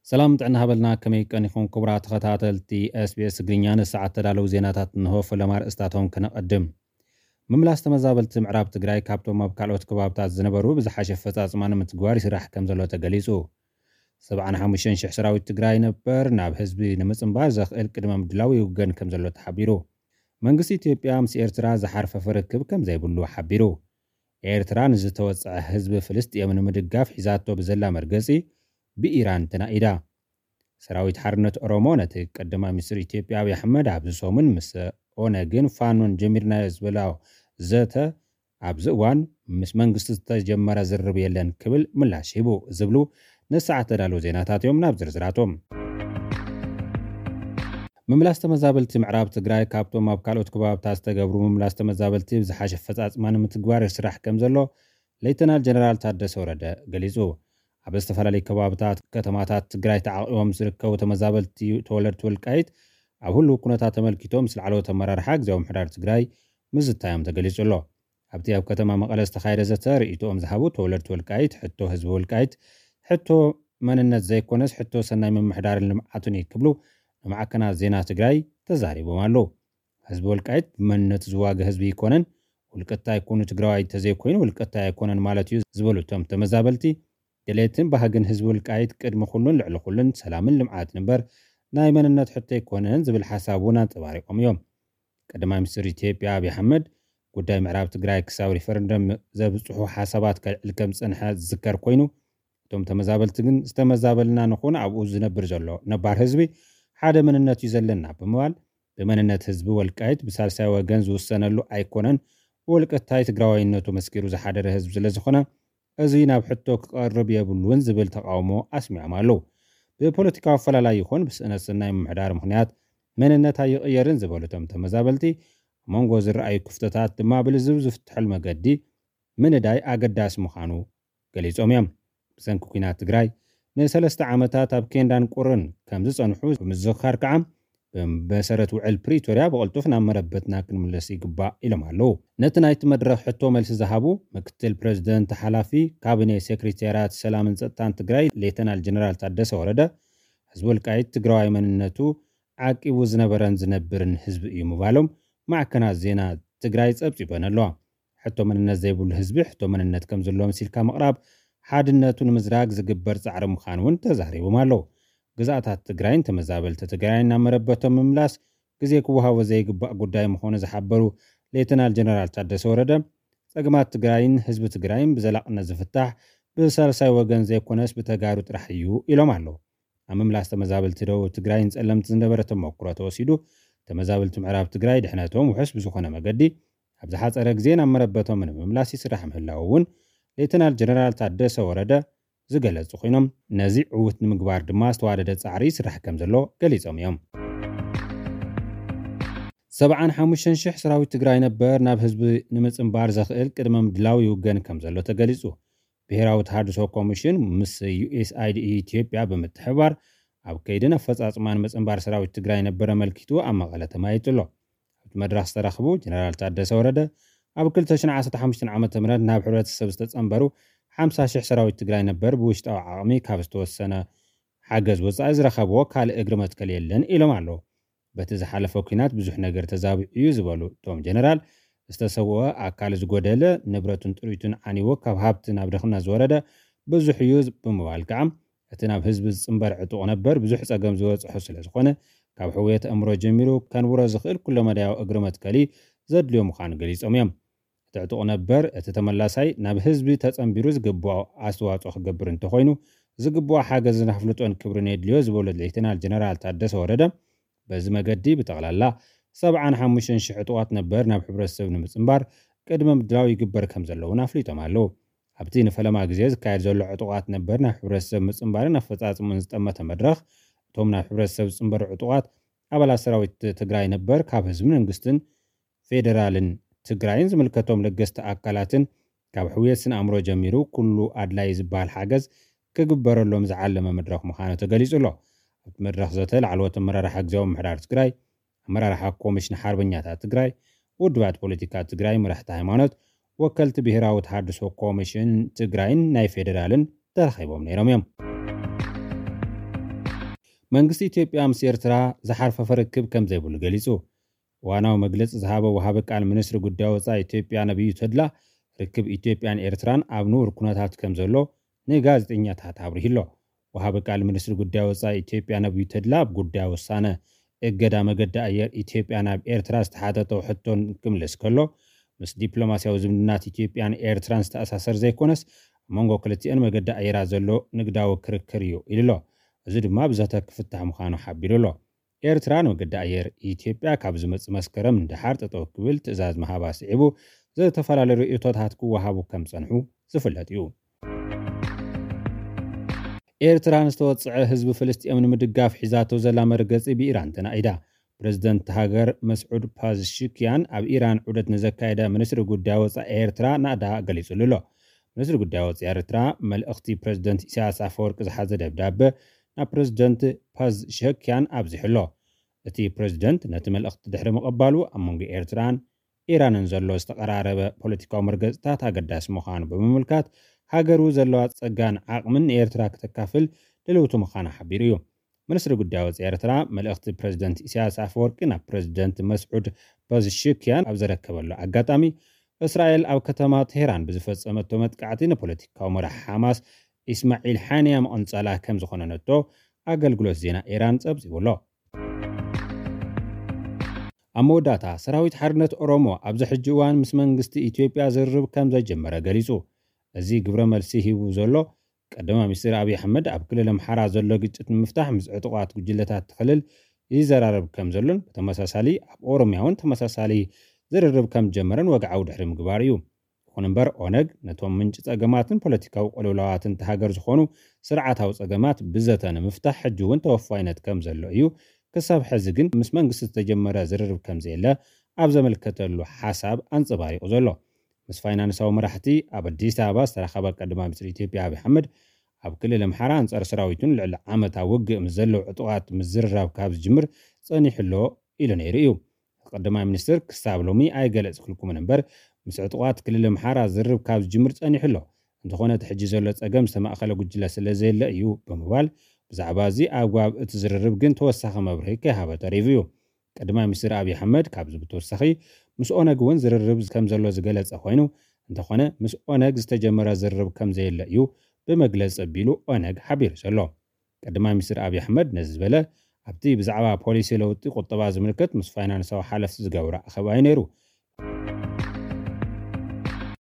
ሰላም ጥዕና ሃበልና፣ ከመይ ቀኒኹም ክቡራት ተኸታተልቲ ኤስቢኤስ ትግርኛ? ንሰዓት ተዳለዉ ዜናታት እንሆ። ፈለማ ኣርእስታቶም ክነቐድም። ምምላስ ተመዛበልቲ ምዕራብ ትግራይ ካብቶም ኣብ ካልኦት ከባብታት ዝነበሩ ብዝሓሸ ኣፈፃፅማ ንምትግባር ይስራሕ ከም ዘሎ ተገሊፁ። ሰብዓን ሓሙሽተን ሽሕ ሰራዊት ትግራይ ነበር ናብ ህዝቢ ንምፅንባር ዘኽእል ቅድመ ምድላው ይውገን ከም ዘሎ ተሓቢሩ። መንግስቲ ኢትዮጵያ ምስ ኤርትራ ዝሓርፈፈ ርክብ ከም ዘይብሉ ሓቢሩ። ኤርትራ ንዝተወፀዐ ህዝቢ ፍልስጥኤም ንምድጋፍ ሒዛቶ ብዘላ መርገፂ ብኢራን ተናኢዳ። ሰራዊት ሓርነት ኦሮሞ ነቲ ቀዳማይ ሚኒስትር ኢትዮጵያ ኣብይ ኣሕመድ ኣብዚ ሰሙን ምስ ኦነግን ፋኖን ጀሚርናዮ ዝበላ ዘተ ኣብዚ እዋን ምስ መንግስቲ ዝተጀመረ ዝርርብ የለን ክብል ምላሽ ሂቡ ዝብሉ ንሰዓት ተዳለዉ ዜናታት እዮም። ናብ ዝርዝራቶም። ምምላስ ተመዛበልቲ ምዕራብ ትግራይ ካብቶም ኣብ ካልኦት ከባብታት ዝተገብሩ ምምላስ ተመዛበልቲ ብዝሓሸ ኣፈፃፅማ ንምትግባር ይስራሕ ከም ዘሎ ሌተናል ጀነራል ታደሰ ወረደ ገሊፁ። ኣብ ዝተፈላለዩ ከባብታት ከተማታት ትግራይ ተዓቂቦም ዝርከቡ ተመዛበልቲ ተወለድቲ ወልቃይት ኣብ ህልው ኩነታት ተመልኪቶም ምስ ላዕለዎት ኣመራርሓ ግዝያዊ ምምሕዳር ትግራይ ምዝታዮም ተገሊፁ ኣሎ። ኣብቲ ኣብ ከተማ መቐለ ዝተኻየደ ዘተ ርእይቶኦም ዝሃቡ ተወለድቲ ወልቃይት፣ ሕቶ ህዝቢ ወልቃይት ሕቶ መንነት ዘይኮነስ ሕቶ ሰናይ ምምሕዳርን ልምዓቱን እዩ ክብሉ ንማዕከናት ዜና ትግራይ ተዛሪቦም ኣለዉ። ህዝቢ ወልቃይት ብመንነቱ ዝዋገ ህዝቢ ኣይኮነን። ውልቀታይ ኩኑ ትግራዋይ እንተዘይኮይኑ ውልቀታይ ኣይኮነን ማለት እዩ ዝበሉ እቶም ተመዛበልቲ፣ ድሌትን ባህግን ህዝቢ ወልቃይት ቅድሚ ኩሉን ልዕሊ ኩሉን ሰላምን ልምዓትን እምበር ናይ መንነት ሕቶ ኣይኮነን ዝብል ሓሳብ እውን ኣንፀባሪቖም እዮም። ቀዳማይ ሚኒስትር ኢትዮጵያ ኣብይ ኣሕመድ ጉዳይ ምዕራብ ትግራይ ክሳብ ሪፈረንደም ዘብፅሑ ሓሳባት ከልዕል ከም ዝፀንሐ ዝዝከር ኮይኑ፣ እቶም ተመዛበልቲ ግን ዝተመዛበልና ንኹን ኣብኡ ዝነብር ዘሎ ነባር ህዝቢ ሓደ መንነት እዩ ዘለና ብምባል ብመንነት ህዝቢ ወልቃይት ብሳልሳይ ወገን ዝውሰነሉ ኣይኮነን፣ ብወልቀታይ ትግራዋይነቱ መስኪሩ ዝሓደረ ህዝቢ ስለዝኾነ እዚ ናብ ሕቶ ክቐርብ የብሉን ዝብል ተቃውሞ ኣስሚዖም ኣለዉ። ብፖለቲካዊ ኣፈላላይ ይኹን ብስእነት ሰናይ ምምሕዳር ምኽንያት መንነት ኣይቕየርን ዝበሉ እቶም ተመዛበልቲ ኣብ መንጎ ዝረኣዩ ክፍተታት ድማ ብልዝብ ዝፍትሐሉ መገዲ ምንዳይ ኣገዳሲ ምዃኑ ገሊጾም እዮም። ብሰንኪ ኲናት ትግራይ ንሰለስተ ዓመታት ኣብ ኬንዳን ቁርን ከም ዝጸንሑ ብምዝኽኻር ከዓ ብመሰረት ውዕል ፕሪቶርያ ብቕልጡፍ ናብ መረበትና ክንምለስ ይግባእ ኢሎም ኣለዉ። ነቲ ናይቲ መድረኽ ሕቶ መልሲ ዝሃቡ ምክትል ፕሬዚደንት ሓላፊ ካቢኔ ሴክሬታርያት ሰላምን ጸጥታን ትግራይ ሌተናል ጀነራል ታደሰ ወረደ ህዝቢ ወልቃይት ትግራዋይ መንነቱ ዓቂቡ ዝነበረን ዝነብርን ህዝቢ እዩ ምባሎም ማዕከናት ዜና ትግራይ ጸብጺበን ኣለዋ። ሕቶ መንነት ዘይብሉ ህዝቢ ሕቶ መንነት ከም ዘለዎ መሲልካ ምቕራብ ሓድነቱ ንምዝራግ ዝግበር ጻዕሪ ምዃኑ እውን ተዛሪቦም ኣለዉ። ግዝኣታት ትግራይን ተመዛበልቲ ትግራይን ናብ መረበቶም ምምላስ ግዜ ክወሃቦ ዘይግባእ ጉዳይ ምዃኑ ዝሓበሩ ሌተናል ጀነራል ታደሰ ወረደ፣ ጸገማት ትግራይን ህዝቢ ትግራይን ብዘላቕነት ዝፍታሕ ብሳልሳይ ወገን ዘይኮነስ ብተጋሩ ጥራሕ እዩ ኢሎም ኣለዉ። ኣብ ምምላስ ተመዛበልቲ ደቡብ ትግራይን ጸለምቲ ዝነበረ ተመክሮ ተወሲዱ፣ ተመዛበልቲ ምዕራብ ትግራይ ድሕነቶም ውሑስ ብዝኾነ መገዲ ኣብ ዝሓጸረ ግዜ ናብ መረበቶም ንምምላስ ይስራሕ ምህላው እውን ሌተናል ጀነራል ታደሰ ወረደ ዝገለጹ ኮይኖም፣ ነዚ ዕዉት ንምግባር ድማ ዝተዋደደ ጻዕሪ ይስራሕ ከም ዘሎ ገሊጾም እዮም። ሰብዓን ሓሙሽተን ሽሕ ሰራዊት ትግራይ ነበር ናብ ህዝቢ ንምጽንባር ዘኽእል ቅድመ ምድላው ይውገን ከም ዘሎ ተገሊጹ። ብሄራዊ ተሃድሶ ኮሚሽን ምስ ዩኤስኣይዲ ኢትዮጵያ ብምትሕብባር ኣብ ከይድን ኣፈጻጽማን ምጽንባር ሰራዊት ትግራይ ነበር ኣመልኪቱ ኣብ መቐለ ተማይጡ ኣሎ። ኣብቲ መድረኽ ዝተረኽቡ ጀነራል ታደሰ ወረደ ኣብ ክልተ ሽሕን ዓሰርተ ሓሙሽተን ዓመተ ምህረት ናብ ሕብረተሰብ ዝተጸንበሩ ሓምሳ ሽሕ ሰራዊት ትግራይ ነበር ብውሽጣዊ ዓቕሚ ካብ ዝተወሰነ ሓገዝ ወጻኢ ዝረኸብዎ ካልእ እግሪ መትከል የለን ኢሎም ኣለዉ። በቲ ዝሓለፈ ኲናት ብዙሕ ነገር ተዛቢዑ እዩ ዝበሉ እቶም ጀነራል፣ ዝተሰወአ ኣካል፣ ዝጎደለ ንብረቱን ጥሪቱን ዓንይዎ ካብ ሃብቲ ናብ ድኽነት ዝወረደ ብዙሕ እዩ ብምባል ከዓ እቲ ናብ ህዝቢ ዝጽንበር ዕጡቕ ነበር ብዙሕ ጸገም ዝበጽሖ ስለ ዝኾነ ካብ ሕውየት ኣእምሮ ጀሚሩ ከንብሮ ዝኽእል ኩለመዳያዊ እግሪ መትከሊ ዘድልዮ ምዃኑ ገሊጾም እዮም። እቲ ዕጡቕ ነበር እቲ ተመላሳይ ናብ ህዝቢ ተጸንቢሩ ዝግብኦ ኣስተዋጽኦ ክገብር እንተኾይኑ ዝግብኦ ሓገዝን ኣፍልጦን ክብርን የድልዮ ዝበሉ ሌተናል ጀነራል ታደሰ ወረደ፣ በዚ መገዲ ብጠቕላላ ሰብዓን ሓሙሽተን ሽሕ ዕጡቓት ነበር ናብ ሕብረተሰብ ንምጽንባር ቅድመ ምድላው ይግበር ከም ዘሎ እውን ኣፍሊጦም ኣለዉ። ኣብቲ ንፈለማ ግዜ ዝካየድ ዘሎ ዕጡቓት ነበር ናብ ሕብረተሰብ ምጽንባርን ኣፈጻጽሙን ዝጠመተ መድረኽ እቶም ናብ ሕብረተሰብ ዝጽንበሩ ዕጡቓት ኣባላት ሰራዊት ትግራይ ነበር ካብ ህዝብን መንግስትን ፌደራልን ትግራይን ዝምልከቶም ለገስቲ ኣካላትን ካብ ሕውየት ስነ ኣእምሮ ጀሚሩ ኩሉ ኣድላይ ዝበሃል ሓገዝ ክግበረሎም ዝዓለመ መድረኽ ምዃኑ ተገሊጹ ኣሎ። ኣብቲ መድረኽ ዘተ ላዕለዎት ኣመራርሓ ግዝያዊ ምምሕዳር ትግራይ፣ ኣመራርሓ ኮሚሽን ሓርበኛታት ትግራይ፣ ውድባት ፖለቲካ ትግራይ፣ መራሕቲ ሃይማኖት፣ ወከልቲ ብሄራዊ ተሃድሶ ኮሚሽን ትግራይን ናይ ፌደራልን ተረኺቦም ነይሮም እዮም። መንግስቲ ኢትዮጵያ ምስ ኤርትራ ዝሓርፈፈ ርክብ ከም ዘይብሉ ገሊጹ። እዋናዊ መግለጺ ዝሃበ ወሃቢ ቃል ሚኒስትሪ ጉዳይ ወጻኢ ኢትዮጵያ ነብዩ ተድላ፣ ርክብ ኢትዮጵያን ኤርትራን ኣብ ንቡር ኩነታት ከም ዘሎ ንጋዜጠኛታት ኣብሪሁ ኣሎ። ወሃቢ ቃል ሚኒስትሪ ጉዳይ ወጻኢ ኢትዮጵያ ነብዩ ተድላ ኣብ ጉዳይ ውሳነ እገዳ መገዲ ኣየር ኢትዮጵያ ናብ ኤርትራ ዝተሓተቶ ሕቶን ክምልስ ከሎ፣ ምስ ዲፕሎማስያዊ ዝምድናት ኢትዮጵያን ኤርትራን ዝተኣሳሰር ዘይኮነስ፣ ኣብ መንጎ ክልቲአን መገዲ ኣየራት ዘሎ ንግዳዊ ክርክር እዩ ኢሉ ኣሎ። እዚ ድማ ብዘተ ክፍታሕ ምዃኑ ሓቢሩ ኣሎ። ኤርትራ ንመገዲ ኣየር ኢትዮጵያ ካብ ዝመጽእ መስከረም ንደሓር ጠጠው ክብል ትእዛዝ ምሃባ ስዒቡ፣ ዝተፈላለዩ ርእይቶታት ክወሃቡ ከም ጸንሑ ዝፍለጥ እዩ። ኤርትራ ንዝተወጽዐ ህዝቢ ፍልስጤም ንምድጋፍ ሒዛቶ ዘላ መርገጺ ብኢራን ተናኢዳ። ፕረዚደንት ሃገር መስዑድ ፓዝሽክያን ኣብ ኢራን ዑደት ንዘካየደ ሚኒስትሪ ጉዳይ ወጻኢ ኤርትራ ናእዳ ገሊጹሉ ኣሎ። ሚኒስትሪ ጉዳይ ወጻኢ ኤርትራ፣ መልእኽቲ ፕረዚደንት ኢሳያስ ኣፈወርቂ ዝሓዘ ደብዳበ ናብ ፕረዚደንት ፓዝሸክያን ኣብዚሑ ኣሎ። እቲ ፕረዚደንት ነቲ መልእኽቲ ድሕሪ ምቕባሉ፣ ኣብ መንጎ ኤርትራን ኢራንን ዘሎ ዝተቐራረበ ፖለቲካዊ መርገጽታት ኣገዳሲ ምዃኑ ብምምልካት፣ ሃገሩ ዘለዋ ጸጋን ዓቕምን ንኤርትራ ክተካፍል ድልውቲ ምዃና ሓቢሩ እዩ። ሚኒስትሪ ጉዳይ ወጻኢ ኤርትራ፣ መልእኽቲ ፕረዚደንት ኢሳያስ ኣፈወርቂ ናብ ፕረዚደንት መስዑድ ፓዝሽክያን ኣብ ዘረከበሉ ኣጋጣሚ፣ እስራኤል ኣብ ከተማ ቴህራን ብዝፈጸመቶ መጥቃዕቲ ንፖለቲካዊ መራሒ ሓማስ ኢስማዒል ሓንያ መቐንጸላ ከም ዝኾነነቶ ኣገልግሎት ዜና ኢራን ጸብጺቡ ኣሎ። ኣብ መወዳእታ፣ ሰራዊት ሓርነት ኦሮሞ ኣብዚ ሕጂ እዋን ምስ መንግስቲ ኢትዮጵያ ዝርርብ ከም ዘጀመረ ገሊጹ። እዚ ግብረ መልሲ ሂቡ ዘሎ ቀዳማይ ሚኒስትር ኣብይ ኣሕመድ፣ ኣብ ክልል ኣምሓራ ዘሎ ግጭት ንምፍታሕ ምስ ዕጡቓት ጉጅለታት እቲ ክልል ይዘራረብ ከም ዘሎን፣ ብተመሳሳሊ ኣብ ኦሮሚያ እውን ተመሳሳሊ ዝርርብ ከም ጀመረን ወግዓዊ ድሕሪ ምግባር እዩ። ይኹን እምበር፣ ኦነግ ነቶም ምንጪ ጸገማትን ፖለቲካዊ ቅልውላዋትን እታ ሃገር ዝኾኑ ስርዓታዊ ጸገማት ብዘተ ንምፍታሕ ሕጂ እውን ተወፋይነት ከም ዘሎ እዩ፣ ክሳብ ሕዚ ግን ምስ መንግስቲ ዝተጀመረ ዝርርብ ከም ዘየለ ኣብ ዘመልከተሉ ሓሳብ ኣንጸባሪቑ ዘሎ። ምስ ፋይናንሳዊ መራሕቲ ኣብ ኣዲስ ኣበባ ዝተራኸበ ቀዳማይ ሚኒስትር ኢትዮጵያ ኣብይ ኣሕመድ፣ ኣብ ክልል ኣምሓራ ኣንጻር ሰራዊቱን ልዕሊ ዓመት ኣብ ውግእ ምስ ዘለዉ ዕጡቓት ምዝርራብ ካብ ዝጅምር ጸኒሑ ኣሎ ኢሉ ነይሩ እዩ። ቀዳማይ ሚኒስትር ክሳብ ሎሚ ኣይገለጽክልኩምን እምበር፣ ምስ ዕጡቓት ክልል ኣምሓራ ዝርርብ ካብ ዝጅምር ጸኒሑ ኣሎ። እንተኾነ እቲ ሕጂ ዘሎ ጸገም ዝተማእኸለ ጉጅለ ስለ ዘየለ እዩ ብምባል፣ ብዛዕባ እዚ ኣግባብ እቲ ዝርርብ ግን ተወሳኺ መብርሂ ከይሃበ ተሪፉ እዩ። ቀዳማይ ሚኒስትር ኣብይ ኣሕመድ ካብዚ ብተወሳኺ፣ ምስ ኦነግ እውን ዝርርብ ከም ዘሎ ዝገለጸ ኮይኑ፣ እንተኾነ ምስ ኦነግ ዝተጀመረ ዝርርብ ከም ዘየለ እዩ ብመግለጺ ኣቢሉ ኦነግ ሓቢሩ ዘሎ። ቀዳማይ ሚኒስትር ኣብይ ኣሕመድ ነዚ ዝበለ፣ ኣብቲ ብዛዕባ ፖሊሲ ለውጢ ቁጠባ ዝምልከት ምስ ፋይናንሳዊ ሓለፍቲ ዝገብሮ ኣኼባ እዩ ነይሩ።